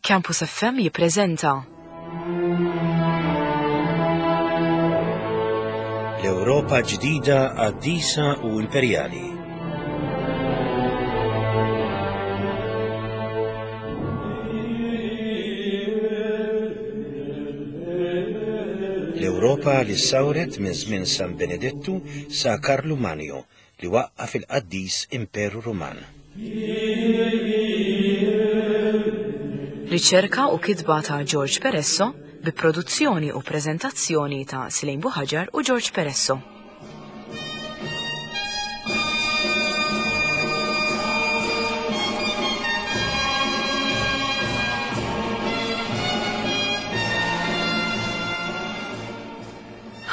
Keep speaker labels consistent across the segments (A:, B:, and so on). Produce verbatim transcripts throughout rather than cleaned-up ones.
A: Campus F M jippreżenta
B: L-Ewropa ġdida qaddisa u imperjali. L-Ewropa li sawret minn żmien San Benedettu sa Karlu Magno li waqqaf il-qaddis Imperu Ruman.
A: Riċerka u kitba ta' George Peresso bi produzzjoni u preżentazzjoni ta' Silejn Buħaġar u George Peresso.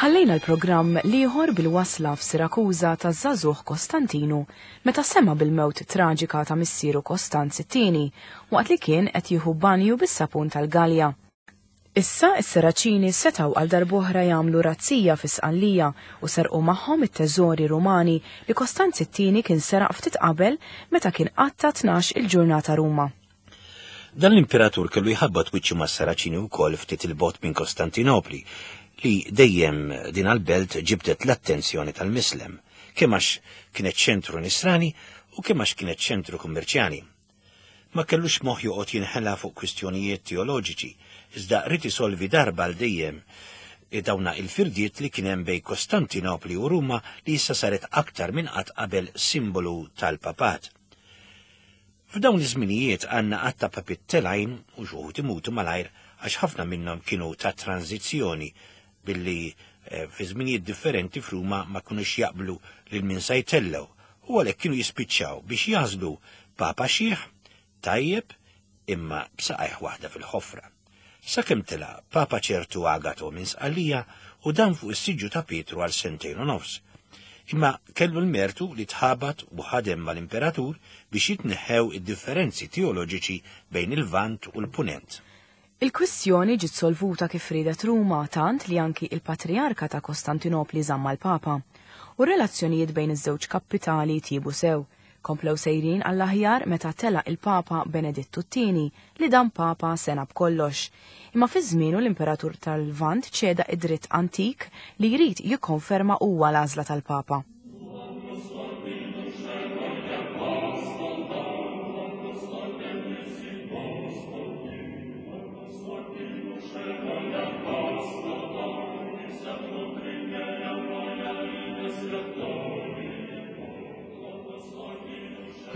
A: Ħallejna l-programm liħor bil-wasla f'Sirakuża ta' żagħżugħ Kostantinu meta sema bil-mewt traġika ta' missieru Kostanz it-tieni waqt li kien qed jieħu banju bis-sapun tal-Galja. Issa s-Seraċini setgħu għal darb'oħra jagħmlu razzija fi Sqallija u serqu magħhom it-teżori Rumani li Kostanz it-tieni kien seraq ftit qabel meta kien qatta tnax il-ġurnata Ruma.
B: Dan l-imperatur kellu jħabbat wiċċu mas-Seraċini wkoll ftit il-bogħod minn Kostantinopli, li dejjem din għal-belt ġibdet l-attenzjoni tal-Mislem, kemm għax kienet ċentru nisrani u kemm għax kienet ċentru kummerċjali. Ma kellux moħħ joqgħod jinħela fuq kwistjonijiet teoloġiċi, iżda rid isolvi darba għal dejjem dawna il-firdiet li kien hemm bejn Kostantinopli u Ruma li issa saret aktar minn qatt qabel simbolu tal-papat. F'dawn iż-żminijiet għandna qatt ta' papit telgħin u xi wħud imutu malajr għax ħafna minnhom kienu ta' tranzizzjoni billi, eh, fi żminijiet differenti f'Ruma ma kinux jaqblu lil min se jtellgħu u għalhekk kienu jispiċċaw biex jażlu papa xiħ tajjeb imma b'saqajh waħda fil-ħofra. Sakemm tela' papa ċertu Agato minn Sqallija u dan fuq is-siġġu ta' Pietru għal sentejn u nofs. Imma kellu l-mertu li tħabat u ħadem mal-imperatur biex jitneħħew id-differenzi teoloġiċi bejn il-Lvant u l-Punent.
A: Il-kwistjoni ġiet solvuta kif riedet Ruma tant li anki il-Patrijarka ta' Kostantinopli żamma l-Papa u r-relazzjonijiet bejn iż-żewġ kapitali tjiebu sew. Komplew sejrin għall-aħjar meta telaq il-Papa Benedittu t-tieni li dan Papa sena b'kollox. Imma fi żmienu l-Imperatur tal-Lvant ċeda id-dritt antik li jrid jikkonferma huwa l-għażla tal-Papa.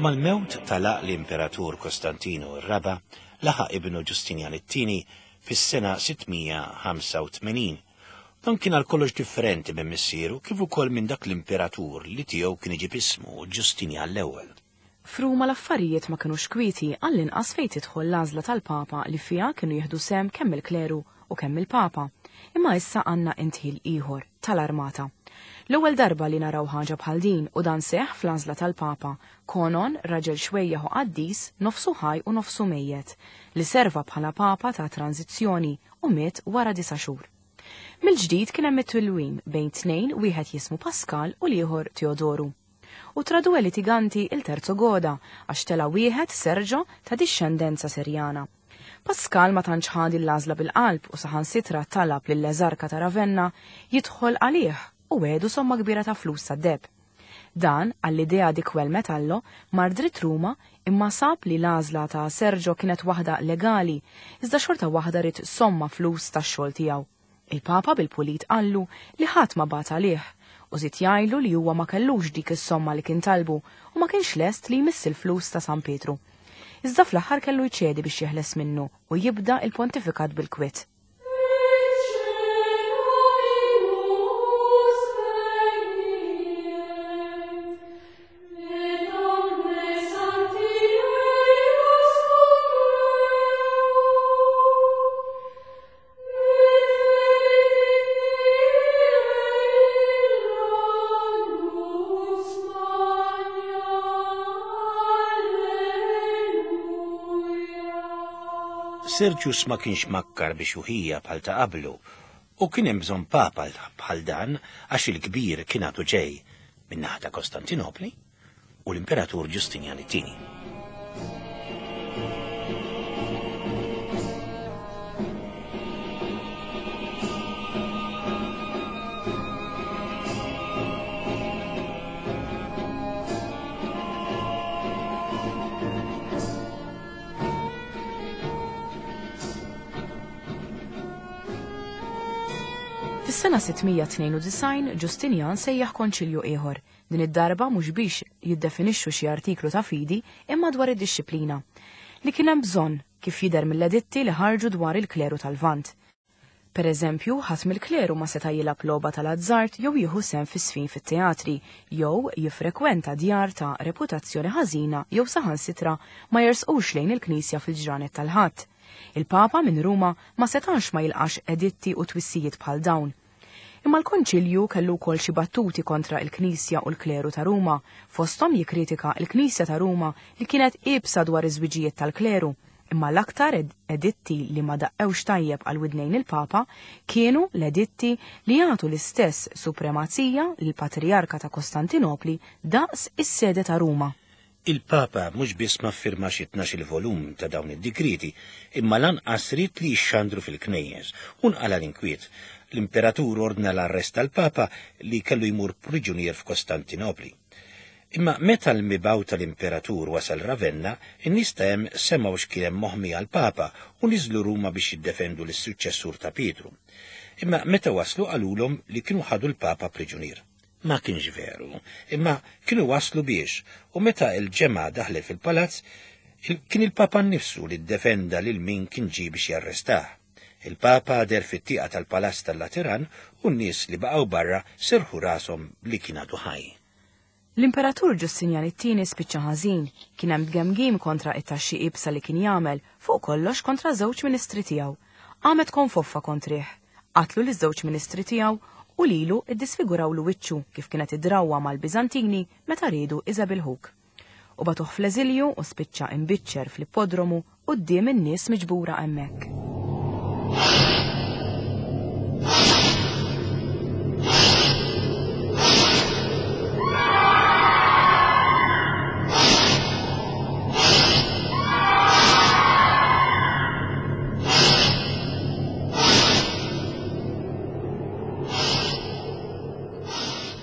B: Mal-mewt talaq l-Imperatur Kostantinu r-raba' laħaq ibnu Ġustinjan it-tieni fis-sena sittmija ħamsa u tmenin. Dan kien għal kollox differenti minn missieru kif ukoll minn dak l-imperatur li tiegħu kien iġib ismu Ġustinjan l-ewwel.
A: F'Ruma l-affarijiet ma kinux kwieti għall-inqas fejn tidħol l-għażla tal-Papa li fiha kienu jieħdu sehem kemm il-kleru u kemm il-Papa. Imma issa għandna intħil ieħor tal-armata. L-ewwel darba li naraw ħaġa bħal din u dan seħħ fl-għażla tal-Papa, Konon, raġel xwejjaħ u qaddis, nofsu ħaj u nofsu mejjet, li serva bħala Papa ta' tranzizzjoni u miet wara disa' xhur. Mill-ġdid kien hemm it-tilwim bejn tnejn, wieħed jismu Pascal u l-ieħor Teodoru. U tra due litiganti il-terzo goda għax tela' wieħed Sergio ta' dixxendenza Serjana. Pascal ma tantx ħadi l-għażla bil-qalb u saħansitra talab lill-eżarka ta' Ravenna jidħol għalih u għedu somma kbira ta' flus tad-deheb. Dan, għall-idea di quel metallo, mar dritt Ruma imma sab li l-għażla ta' Sergio kienet waħda legali, iżda xorta waħda rid somma flus tax-xogħol tiegħu. Il-Papa bil-pulit qallu li ħadd ma bagħat għalih u żied jgħidlu li huwa ma kellux dik is-somma li kien talbu u ma kienx lest li jmiss il-flus ta' San Pietru. Iżda fl-aħħar kellu jċedi biex jeħles minnu u jibda il-pontifikat bil-kwiet.
B: Sergius ma kienx makkar biex uħija bħal ta' qablu u kien hemm bżonn papa bħal dan għax il-kbir kien għadu ġej min-naħa ta' Kostantinopli u l-Imperatur Ġustinjan it-tieni.
A: Fis-sena sitt mija tnejn u disgħin Ġustinjan sejjaħ konċilju ieħor, din id-darba mhux biex jiddefinixxu xi artiklu ta' fidi imma dwar id-dixxiplina, li kien hemm bżonn kif jidher mill-editti li ħarġu dwar il-kleru tal-Lvant. Per eżempju, ħadd mill-kleru ma seta' jilgħab logħba tal-azzart jew jieħu sehem fis-sfin fit-teatri, jew jiffrekwenta djar ta' reputazzjoni ħażina jew saħansitra ma jersqux lejn il-knisja fil-ġranet tal-Ħadd. Il-Papa minn Ruma ma setax ma jilqax editti u twissijiet bħal dawn. Imma l-Konċilju kellu wkoll xi battuti kontra il-Knisja u l-kleru ta' Ruma, fosthom jikkritika l-Knisja ta' Ruma li kienet iebsa dwar iż-żwiġijiet tal-kleru. Imma l-aktar editti li ma daqqewx tajjeb għal widnejn il-Papa kienu l-editti li jagħtu l-istess supremazija lill-Patrijarka ta' Kostantinopli daqs is-sede ta' Ruma.
B: Il-Papa mhux biss ma ffirmax it-tnax-il volum ta' dawn id-digriti, imma lanqas ried li jixxandru fil-knejjes, u nqala l-inkwiet. L-imperatur ordna l-arrest tal-Papa li kellu jmur priġunier f'Kostantinopli. Imma meta l-mibgħut tal-imperatur wasal Ravenna, in-nies ta' hemm semgħu x'kien hemm moħmi għall-Papa u niżlu Ruma biex jiddefendu lis-suċċessur ta' Pietru. Imma meta waslu qalulhom li kienu ħadu l-Papa priġunier. Ma kienx veru, imma kienu waslu biex, u meta il-ġemgħa daħlet fil-palazz, kien il-Papa nnifsu li ddefenda lil min kien ġie biex jarrestah. Il-Papa deher fit-tieqa tal-Palazz tal-Lateran u n-nies li baqgħu barra serħu rashom li kien għadu ħaj.
A: L-Imperatur Ġustinjan it-tieni spiċċa ħażin, kien hemm tgemgim kontra it-taxxi iebsa li kien jagħmel, fuq kollox kontra żewġ ministri tiegħu. Qamet konfoffa kontrih. Qatlu liż-żewġ ministri tiegħu u lilu iddisfigurawlu wiċċu kif kienet id-drawwa mal-Biżantini meta riedu iżebilħuk. U bagħtuh fl-eżilju u spiċċa imbiċċer fl-ippodromu quddiem in-nies miġbura hemmhekk.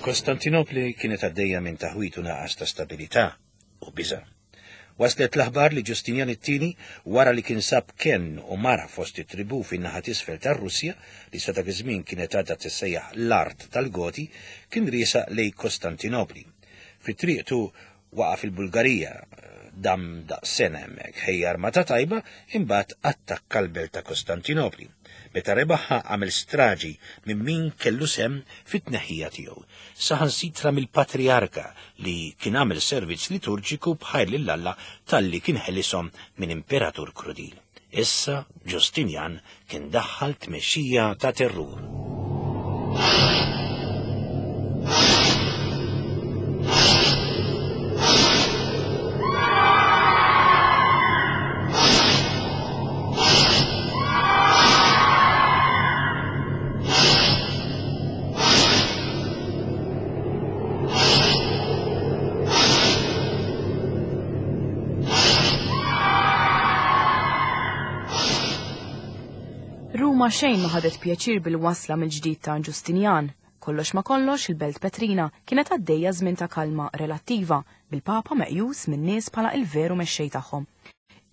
B: Kostantinopli kienet għaddejja minn taħwit u naqas ta' stabilità u biża'. Waslet l-aħbar li Ġustinjan it-tieni, wara li kien sab kenn u mara fost it-tribu fin-naħa t'isfel tar-Russja, li sa dak iż-żmien kienet għadha tissejjaħ l-art tal-Goti, kien riesaq lejn Kostantinopli. Fi triqtu waqa' fil-Bulgarija, dam daqs sena hemmhekk, ħejja armata tajba, imbagħad attakka l-belt ta' Kostantinopli. Meta rebaħha għamel straġi minn min kellu sehem fit-tneħħija tiegħu. Saħansitra mill-Patriarka li kien għamel servizz liturġiku b'ħajr lil Alla talli kien ħelishom minn imperatur krudil. Issa Ġustinjan kien daħħal tmexxija ta' terrur.
A: Ruma xejn ma ħadet pjaċir bil-wasla mill-ġdid ta' Ġustinjan. Kollox ma kollox il-Belt Petrina kienet għaddejja żmien ta' kalma relattiva bil-Papa meqjus min-nies bħala il-veru mexxej tagħhom.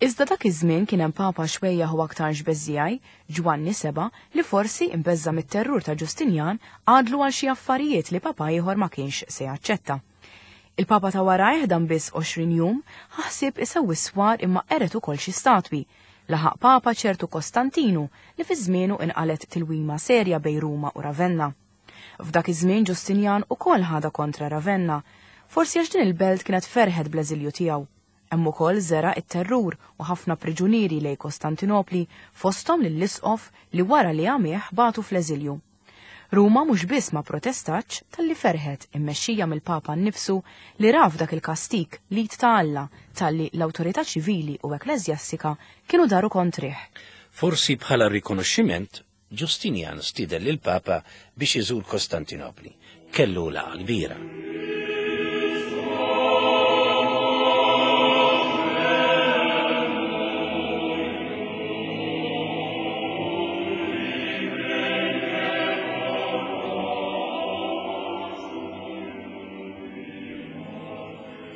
A: Iżda dak iż-żmien kien hemm Papa xwejjaħ u aktarx beżżiegħi, Ġwanni Seba, li forsi imbeżża mit-terrur ta' Ġustinjan għadlu għal xi affarijiet li Papa ieħor ma kienx se jaċċetta. Il-Papa ta' warajh dan biss għoxrin jum ħaħsib isewwi swar imma qeret ukoll xi statwi. Laħaq Papa ċertu Kostantinu li fi żmienu inqalet tilwima serja bejn Ruma u Ravenna. F'dak iż-żmien Ġustinjan ukoll ħada kontra Ravenna, forsi għax din il-belt kienet ferħet bl-eżilju tiegħu. Hemm ukoll żera it-terrur u ħafna priġunieri lejn Kostantinopli fosthom lill-isqof li wara li għamih bagħtu fl-eżilju. Ruma mhux biss ma protestatx talli ferħet immexxija mill-Papa nnifsu li raf dak il-kastik li ta' Alla talli l-awtorità ċivili u ekkleżjastika kienu daru kontrih.
B: Forsi bħala rikonoxximent, Ġustinjan stieden lill-Papa biex iżur Kostantinopli. Kellu laqgħa kbira.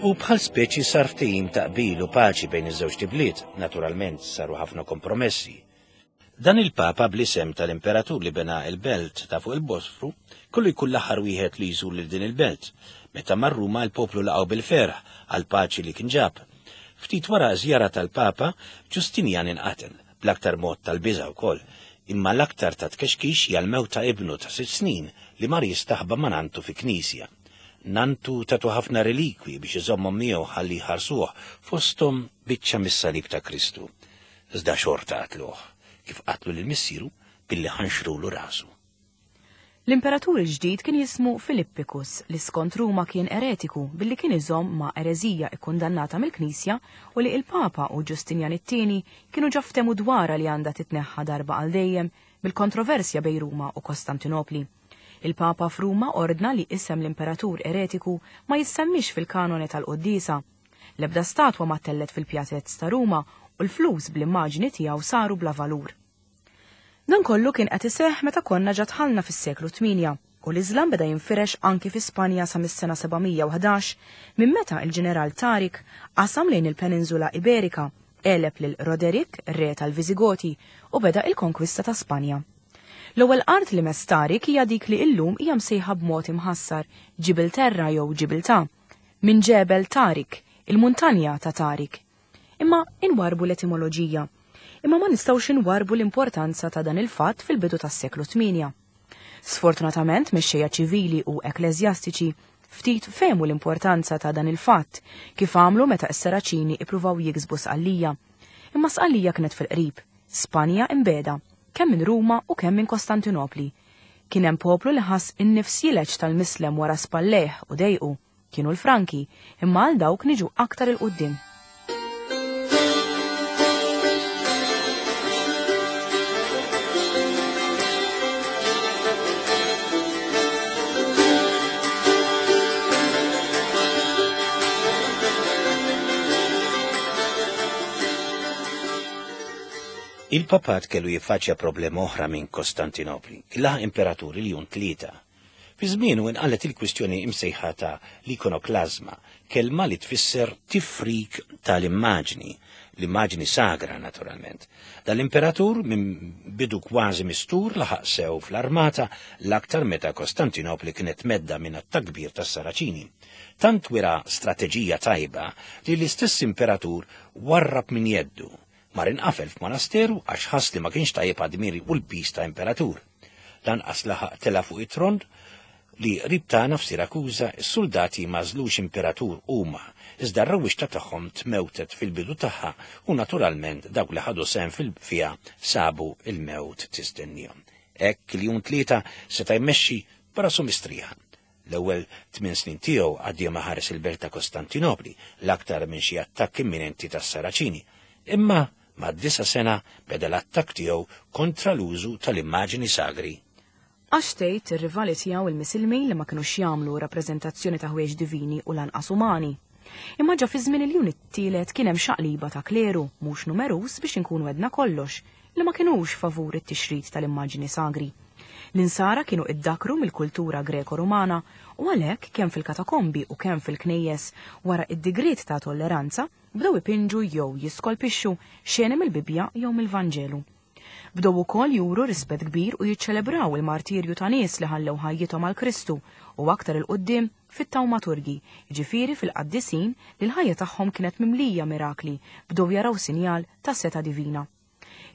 B: U bħal speċi sar ftehim ta' qbil u paċi bejn iż-żewġ tibliet, naturalment saru ħafna kompromessi. Dan il-Papa bl-isem tal-imperatur li bena il-belt ta' fuq il-Bosfru kollu jkun l-aħħar wieħed li jżur lil din il-belt. Meta mar Ruma l-poplu laqgħu bil-ferħ għal paċi li kien ġab. Ftit wara żjara tal-Papa, Ġustinjan inqatel, bl-aktar mod tal-biża' wkoll, imma l-aktar ta' tkexkix hija l-mewt ta' ibnu ta' sitt snin li mar jistaħba ma' nantu fi knisja. Nantu tatu ħafna relikwi biex iżommhom miegħu ħalli jħarsuh, fosthom biċċa mis-salib ta' Kristu. Iżda xorta qatluh, kif qatlu lil missieru billi ħanxrulu rasu.
A: L-imperatur il-ġdid kien jismu Filippicus, li skont Ruma kien eretiku billi kien iżomm ma' ereżija ikkundannata mill-Knisja u li il-Papa u Ġustinjan it-tieni kienu ġa ftehmu dwarha li għandha titneħħa darba għal dejjem mill-kontroversja bejn Ruma u Kostantinopli. Il-Papa f'Ruma ordna li isem l-imperatur eretiku ma jissemmix fil-kanone tal-Qoddisa. L-ebda statwa ma tellet fil-pjazez ta' Ruma u l-flus bl-immaġni tiegħu saru bla valur. Dan kollu kien qed iseħħ meta konna ġa dħalna fis-seklu tmienja u l-Iżlam beda jinfirex anki fi Spanja sa mis-sena sebgħamija u ħdax minn meta il-ġeneral Tarik qasam lejn il-Peninsula Iberika, għeleb lil Roderick, re tal-Viżigoti, u beda il-konkwista ta' Spanja. L-ewwel art li mess Tarik hija dik li illum hija msejħa b'mod imħassar Ġibilterra jew Ġibiltà, minn ġebel Tarik, il-muntanja ta' Tarik. Imma inwarbu l-etimoloġija. Imma ma nistgħux inwarbu l-importanza ta' dan il-fatt fil-bidu tas-seklu tmienja. Sfortunatament, mexxejja ċivili u ekklesjastiċi ftit fehmu l-importanza ta' dan il-fatt kif għamlu meta s-Saraċini ippruvaw jiksbu Sqallija. Imma Sqallija kienet fil-qrib, Spanja imbeda, kemm minn Ruma u kemm minn Kostantinopli. Kien hemm poplu li ħass in-nifs jileġ tal-mislem wara spallejh u dejqu, kienu l-Franki, imma għal dawk niġu aktar il-qudiem.
B: Il-papat kellu jiffaċċja problema oħra minn Kostantinopli, laħ imperaturi li jun tlieta. Fi żmienu inqalet il-kwistjoni imsejħa ta' l-ikonoklazma, kelma li tfisser tifrik tal-immaġni, l-immaġni sagra naturalment. Dal-imperatur minn bidu kważi mistur laħaq sew fl-armata l-aktar meta Kostantinopli kienet medda minn attakk kbir tas-Saraċini. Tant wera strateġija tajba li l-istess imperatur warrab minn jeddu. Mar inqafel f'monasteru għax ħass li ma kienx tajjeb għad-dmiri u l-pis ta' imperatur. Lanqas laħaq tela fuq it-tron li qrib tagħna f'Sirakuża s-soldati mażlux imperatur huma, iżda r-rewwixta tagħhom tmewtet fil-bidu tagħha u naturalment dawk li ħadu sehem fil-fiha sabu il-mewt tistennihom. Hekk il-jum tlieta seta' jmexxi b'rasu mistrieħa. L-ewwel tmien snin tiegħu għaddejhom ħares il-belt ta' Kostantinopli, l-aktar minn xi attakk imminenti tas-Saraċini. Imma ma' disa sena beda l-attakk tiegħu kontra l-użu tal-immaġni sagri.
A: Għax tgħid ir-rivali tiegħu il-Misilmin li ma kinux jagħmlu rappreżentazzjoni ta' ħwejjeġ divini u lanqas umani. Imma ġa fi żmien il-jun it-tielet kien hemm xaqliba ta' kleru mhux numeruż biex inkunu għedna kollox li ma kinux favur it-tixrid tal-immaġni sagri. L-insara kienu iddakru mill-kultura Greko-Rumana u għalhekk kemm fil-katakombi u kemm fil-knejjes wara id-digriet ta' tolleranza bdew ipinġu jew jiskolpixxu xeni mill-Bibbja jew mill-Vanġelu. Bdew ukoll juru rispett kbir u jiċċelebraw il-martirju ta' nies li ħallew ħajjithom għal Kristu u aktar il-qudiem fit-tawmaturgi, jiġifieri fil-qaddisin li l-ħajja tagħhom kienet mimlija mirakli, bdew jaraw sinjal ta' seta' divina.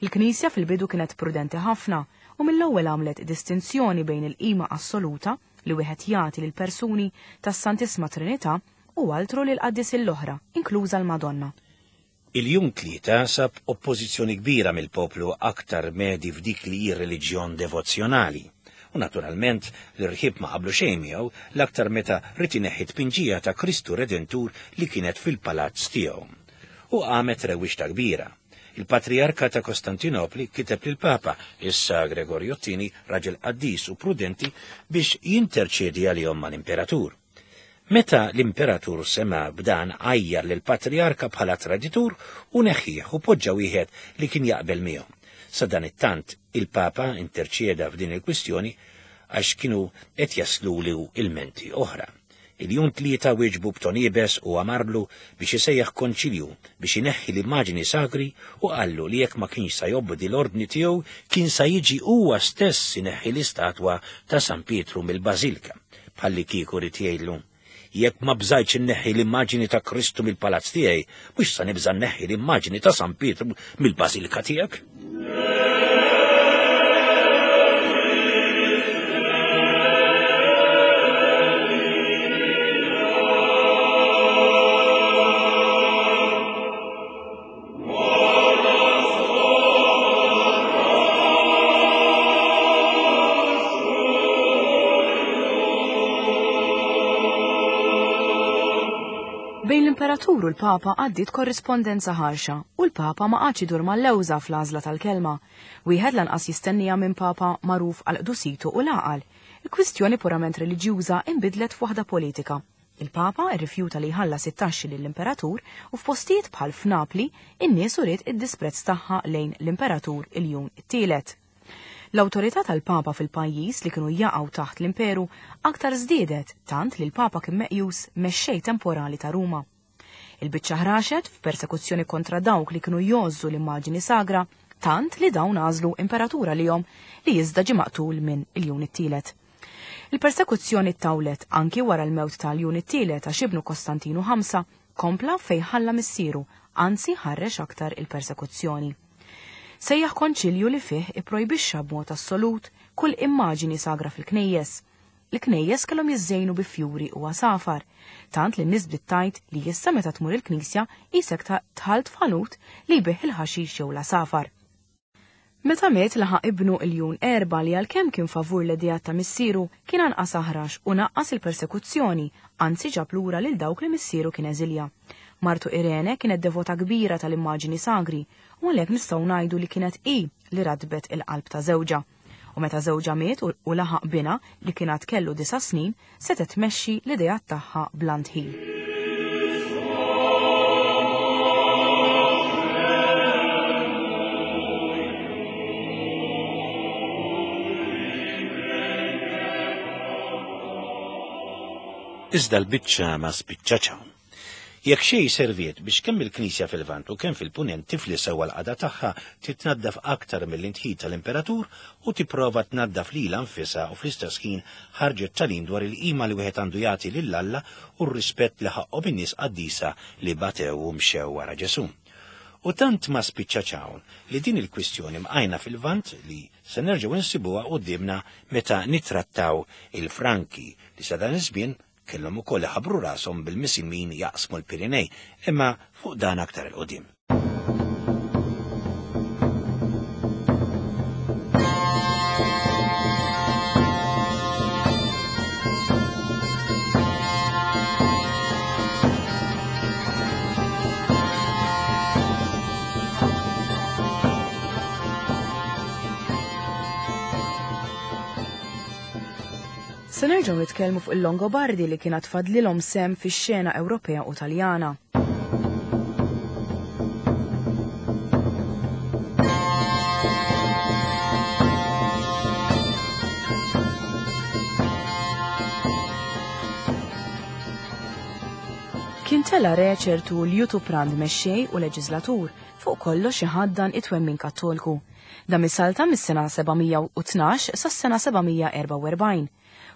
A: Il-Knisja fil-bidu kienet prudenti ħafna u mill-ewwel għamlet distinzjoni bejn il-qima assoluta li wieħed jagħti lil persuni tas-Santisma Trinità u altru lil qaddisin l-oħra, inkluża l-Madonna.
B: Il-jum tlieta sab oppożizzjoni kbira mill-poplu aktar medi f'dik li hi reliġjon devozzjonali. U naturalment l-irħib ma qablu xejn miegħu l-aktar meta rid ineħħi tpinġija ta' Kristu Redentur li kienet fil-palazz tiegħu. U qamet rewwixta kbira. Il-Patriarka ta' Kostantinopli kiteb lill-Papa, issa Gregorio t-tieni, raġel qaddis u prudenti, biex jinterċedi għalihom mal-imperatur. Meta l-imperatur sema b'dan għajjar lill-Patriarka bħala traditur u neħħieħ u poġġa wieħed li kien jaqbel miegħu. Sa dan it-tant il-Papa interċeda f'din il-kwistjoni għax kienu qed jaslulu ilmenti oħra. Iljun Tlieta wieġbu b'ton iebes u amarlu biex isejjaħ konċilju biex ineħħi l-immaġini sagri u qallu li jekk ma kienx sa jobdi l-ordni tiegħu kien sa jiġi huwa stess ineħħi l-istatwa ta' San Pietru mill-Bażilka, bħalli kieku rid jgħidlu: jekk ma bżajtx inneħħi l-immaġini ta' Kristu mill-palazz tiegħi, mhux sa nibża' nneħħi l-immaġini ta' San Pietru mill-Bażilka tiegħek.
A: Bejn l-Imperatur u l-Papa għaddiet korrispondenza ħarxa u l-Papa ma qagħadx idur mal-lewża fl-għażla tal-kelma. Wieħed lanqas jistennija minn Papa magħruf għal qdusitu u l-għaqal. Il-kwistjoni purament reliġjuża inbidlet f'waħda politika. Il-Papa rrifjuta li jħallas it-taxxi lill-Imperatur u f'postijiet bħal f'Napli in-nies uriet id-disprezz tagħha lejn l-Imperatur Iljun it-Tielet. L-awtorità tal-Papa fil-pajjiż li kienu jaqgħu taħt l-imperu aktar żdiedet tant li l-Papa kien meqjus mexxej temporali ta' Ruma. Il-biċċa ħraxet f'persekuzzjoni kontra dawk li kienu jgħożżu l-immaġini sagra tant li dawn għażlu imperatura lihom li iżda ġie maqtul minn Iljun it-Tielet. Il-persekuzzjoni ttawlet anki wara l-mewt ta' Iljun it-Tielet għax ibnu Kostantinu ħamsa kompla fejn ħalla missieru, anzi ħarrex aktar il-persekuzzjoni. Sejjaħ konċilju li fih ipprojbixxa b'mod assolut kull immaġini sagra fil-knejjes. Il-knejjes kellhom jiżżejnu bi fjuri u għasafar, tant li n-nies bdiet tgħid li issa meta tmur il-knisja qisek dħalt f'ħanut li jbigħ il-ħaxix jew l-għasafar. Meta miet laħaq ibnu Iljun Erba li għalkemm kien favur l-idejat ta' missieru kien anqas aħrax u naqqas il-persekuzzjoni, anzi ġab lura lil dawk li missieru kien eżilja. Martu Irene kienet devota kbira tal-immaġini sagri u għalhekk nistgħu ngħidu li kienet hi li radbet il-qalb ta' żewġha. U meta żewġha miet u laħaq binha li kien għad kellu disa' snin, setgħet tmexxi l-idejat tagħha bla ndħil.
B: Iżda l-biċċa ma spiċċax hawn. Jekk xejn serviet biex kemm il-Knisja fil-Lvant u kemm fil-Punent tifli sewwa l-qagħda tagħha titnaddaf aktar mill-intħil tal-Imperatur u tipprova tnaddaf lilha nfisha u fl-istess ħin ħarġet tagħlim dwar il-qima li wieħed għandu jagħti lil Alla u r-rispett li ħaqqhom in-nies qaddisa li batew u mxew wara Ġesù. U tant ma spiċċax hawn li din il-kwistjoni mqajna fil-Lvant li se nerġgħu nsibuha quddiemna meta nittrattaw il-Franki li sa dan iż-żmien kellhom ukoll iħabbru rashom bil-Misilmin jaqsmu l-Pirinej, imma fuq dan aktar il-qudiem.
A: Se nerġgħu nitkellmu fuq il-Longobardi li kienet tfadlilhom sem fix-xena Ewropea u Taljana. Kien tela re ċertu Liutprand mexxej u leġislatur fuq kollox iħaddan it-twemmin Kattolku. Dan mis-salta mis-sena seba' mija u tnax sas-sena seba' mija erba' u erbgħin.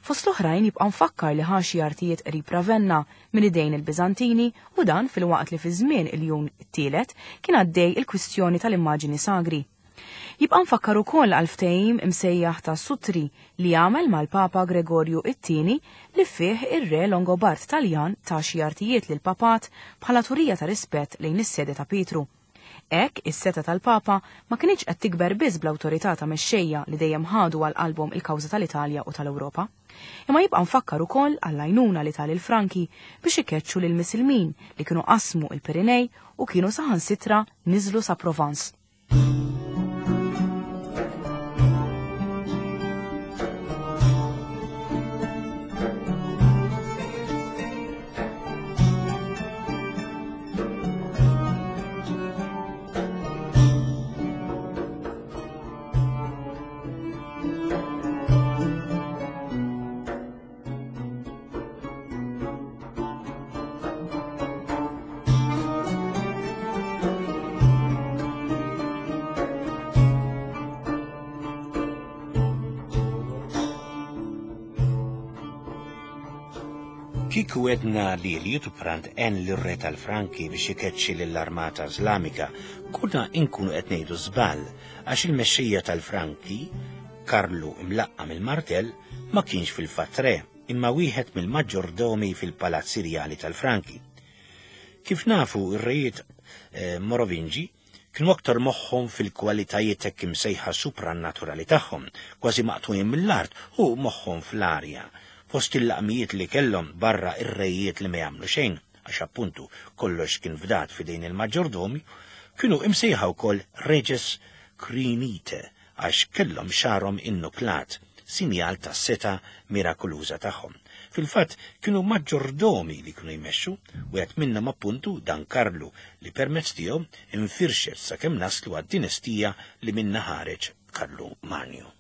A: Fost l-oħrajn jibqa' mfakkar li ħa xi artijiet qrib Ravenna minn idejn il-Biżantini u dan filwaqt li fi żmien Iljun it-Tielet kien għaddej il-kwistjoni tal-immaġini sagri. Jibqa' mfakkar ukoll għal ftehim imsejjaħ ta' Sutri li għamel mal-Papa Gregorju it-Tieni li fih ir-re Longobard Taljan ta' xi artijiet lil papat bħala turija ta' rispett lejn is-sede ta' Pietru. Hekk is-seta tal-Papa ma kinitx qed tikber biss bl-awtorità ta' mexxejja li dejjem ħadu għal qalbhom il-kawża tal-Italja u tal-Ewropa. Imma jibqa' mfakkar ukoll għall-għajnuna li tal il-Franki biex ikeċċu lil Misilmin li kienu qasmu il-Pirinej u kienu saħansitra niżlu sa Provence.
B: Kieku għedna li Liutprand għen lir-re tal-Franki biex ikeċċi lill-armata Iżlamika, konna inkunu qed ngħidu żball għax il-mexxejja tal-Franki, Karlu imlaqqam il-Martell, ma kienx fil-fatt re, imma wieħed mill-maġġordomi fil-palazzi rjali tal-Franki. Kif nafu ir-rejiet eh, Morovingi kienu aktar moħħhom fil-kwalitajiet hekk imsejħa suprannaturali tagħhom, kważi maqtugħin mill-art u moħħhom fl-arja. Fost il-laqmijiet li kellhom barra ir-rejiet li ma jagħmlu xejn, għax appuntu kollox kien fdat f'idejn il-maġġordomi, kienu imsejħa wkoll reges crinite għax kellhom xagħarhom innuklat, sinjal tas-seta mirakoluża tagħhom. Fil-fatt kienu maġġordomi li kienu jmexxu, wieħed minnhom appuntu dan Karlu li permezz tiegħu infirxet sakemm naslu għad-dinastija li minnha ħareġ Karlu Magno.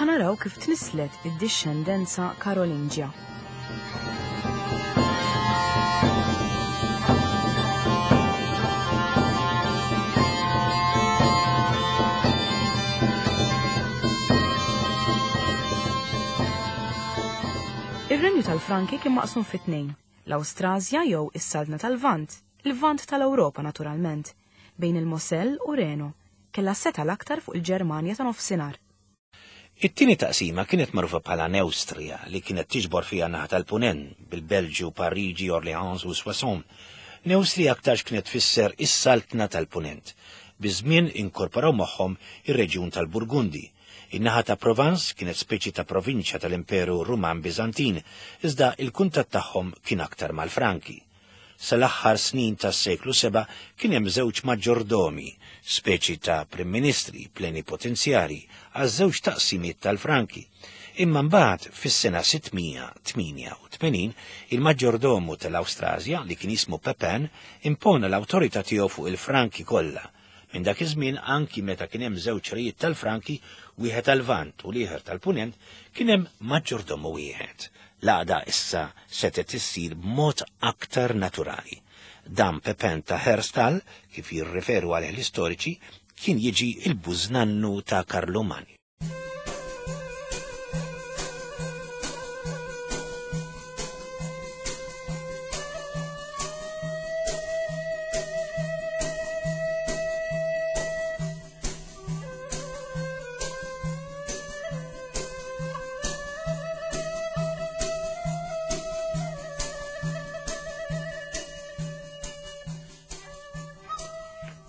A: Ħa naraw kif tnislet id-dixxendenza Karolinġja. Ir-Renju tal-Franki kien maqsum fi tnejn, l-Awstrasja jew is-Saltna tal-Lvant, il-Lvant tal-Ewropa naturalment, bejn il-Mosel u Reno, kellha seta l-aktar fuq il-Ġermanja ta' nofsinhar.
B: It-tieni taqsima kienet magħrufa bħala Newstrija li kienet tiġbor fiha naħa tal-Punent bil-Belġju, Pariġi, Orleans u Soissons. Newstrija aktarx kienet tfisser is-Saltna tal-Punent. Biż-żmien inkorporaw magħhom ir-reġjun tal-Burgundi. In-naħa ta' Provence kienet speċi ta' provinċja tal-Imperu Ruman Biżantin, iżda il-kuntatt tagħhom kien aktar mal-Franki. Sal-aħħar snin tas-seklu seba' kien hemm żewġ maġġordomi, speċi ta' prim ministri plenipotenzjari għaż-żewġ taqsimiet tal-Franki. Imma mbagħad fis-sena sittmija tmienja u tmenin il-maġġordomu tal-Awstrasja li kien jismu Pepin impona l-awtorità tiegħu fuq il-Franki kollha. Minn dak iż-żmien anki meta kien hemm żewġ rejiet tal-Franki, wieħed tal-Lvant u l-ieħor tal-Punent, kien hemm maġġordomu wieħed. L-għaqda issa setgħet issir b'mod aktar naturali. Dan Pepin ta' Herstal, kif jirriferu għalih l-istoriċi, kien jiġi il-bużnannu ta' Karlu Magno.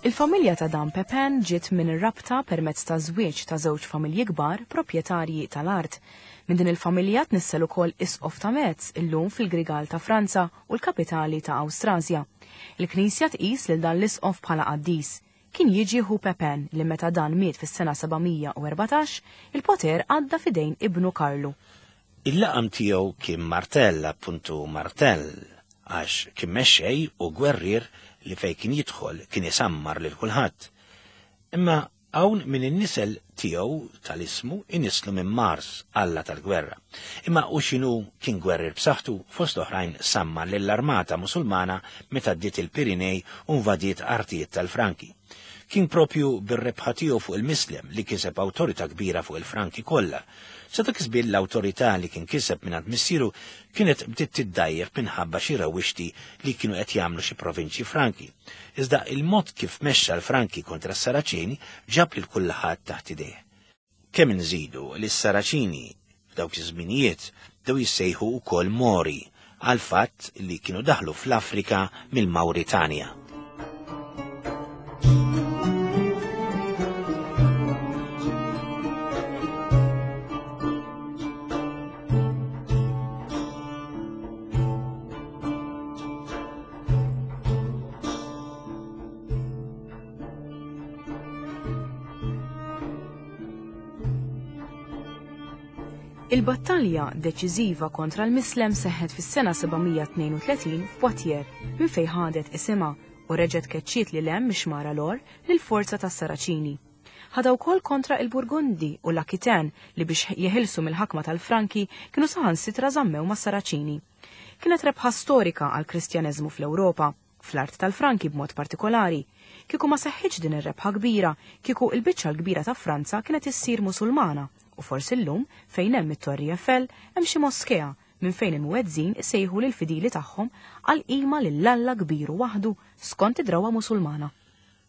A: Il-familja ta' dan Pepin ġiet minn ir-rabta permezz ta' żwieġ ta' żewġ familji kbar proprjetarji tal-art. Minn din il-familja tnissel ukoll isqof ta' Metz illum fil-Grigal ta' Franza u l-kapitali ta' Awstrasja. Il-Knisja tqis lil dan l-isqof bħala qaddis. Kien jiġi ħu Pepin li meta dan miet fis-sena sebgħamija u erbatax, il-poter għadda f'idejn ibnu Karlu.
B: Il-laqam tiegħu kien Martell, appuntu Martell, għax kien mexxej u gwerrier li fej kien jidħol kien isammar lil kulħadd. Imma hawn minn in-nisel tiegħu tal-ismu inislu minn Mars, alla tal-gwerra. Imma u x'inhu kien gwerrier b'saħħtu fost oħrajn sammar lill-armata Musulmana meta ddiet il-Pirinej u invadiet artijiet tal-Franki. Kien propju bir-rebħa tiegħu fuq il-Mislem li kiseb awtorità kbira fuq il-Franki kollha. Sa dak iż-żmien l-awtorità li kien kiseb mingħand missieru kienet bdiet tiddajjef minħabba xi rawwixti li kienu qed jagħmlu xi provinċji Franki. Iżda il-mod kif mexxa l-Franki kontra s-Saraċini ġab lil kulħadd taħt idejh. Kemm inżidu li s-Saraċini f'dawk iż-żminijiet bdew jissejħu wkoll Mori għal fatt li kienu daħlu fl-Afrika mill-Mawritanja.
A: Il-battalja deċiżiva kontra l-Mislem seħħet fis-sena sebgħamija tnejn u tletin f'Poitiers minn fejn ħadet isimha u reġgħet keċċiet lil hemm mix-xmara Lor lill-forza tas-Saraċini. Ħadha wkoll kontra il-Burgundi u l-Aquitaine li biex jeħilsu mill-ħakma tal-Franki kienu saħansitra żammew mas-Saraċini. Kienet rebħa storika għall-Kristjaneżmu fl-Ewropa. fl-art tal-Franki b'mod partikolari. Kieku ma seħħitx din ir-rebħa kbira, kieku il-biċċa l-kbira ta' Franza kienet issir Musulmana u forsi llum fejn hemm it-Torri Eiffel hemm xi moskea minn fejn il-muezzin isejħu lill-fidili tagħhom għal qima lil Alla kbir u waħdu skont id-drawwa Musulmana.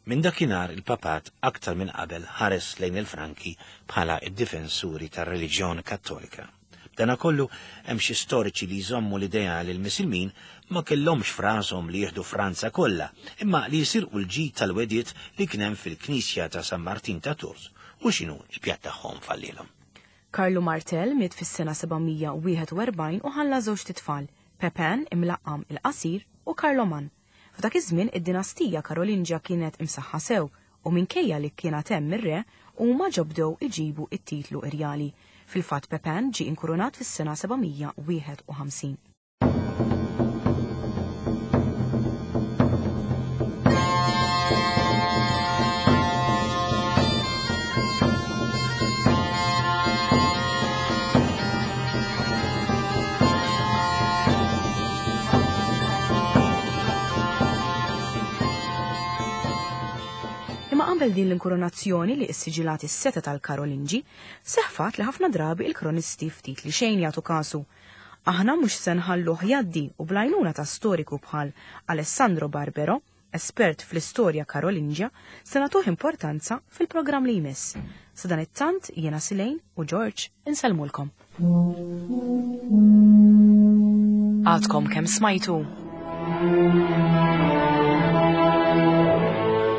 B: Minn dakinhar il-papat aktar minn qabel ħares lejn il-Franki bħala id-difensuri tar-reliġjon Kattolika. Dana kollu hemm xi storiċi li jżommu l-idea li l-Misilmin ma kellhomx f'rashom li jieħdu Franza kollha, imma li jisirqu l-ġid tal-wediet li kien hemm fil-Knisja ta' San Martin ta' Tours u x'inhu l-pjatt tagħhom fallilhom.
A: Karlu Martel miet fis-sena sebgħamija u wieħed u erbgħin u ħalla żewġt itfal, Pepin imlaqqam il-Qasir u Karloman. F'dak iż-żmien id-dinastija Karolinġja kienet imsaħħa sew u minkejja li kienet hemm ir-re huma ġobdew iġibu it-titlu irjali. Fil-fatt Pepin ġie inkurunat fis-sena sebgħamija u wieħed u ħamsin. Imma qabel din l-inkoronazzjoni li issiġilat is-seta tal-Karolinġi, seħfat li ħafna drabi il-kronisti ftit li xejn jagħtu kasu. Aħna mhux se nħalluh jgħaddi u bl-għajnuna ta' storiku bħal Alessandro Barbero, espert fl-istorja Karolinġja, se nagħtuh importanza fil-programm li jmiss. Sadanittant jiena Silejn u George insellmulkom. Għadkom kemm smajtu.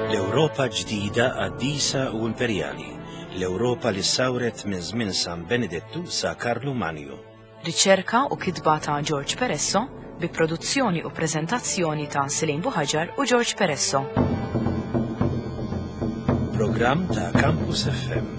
B: L-Ewropa ġdida qaddisa u imperjali, l-Ewropa li sawret minn żmien San Benedettu sa Karlu Manju.
A: Riċerka u kitba ta' George Peresso bi produzzjoni u preżentazzjoni ta' Silejn Buhaġar u George Peresso.
B: Programm ta' Campus F M.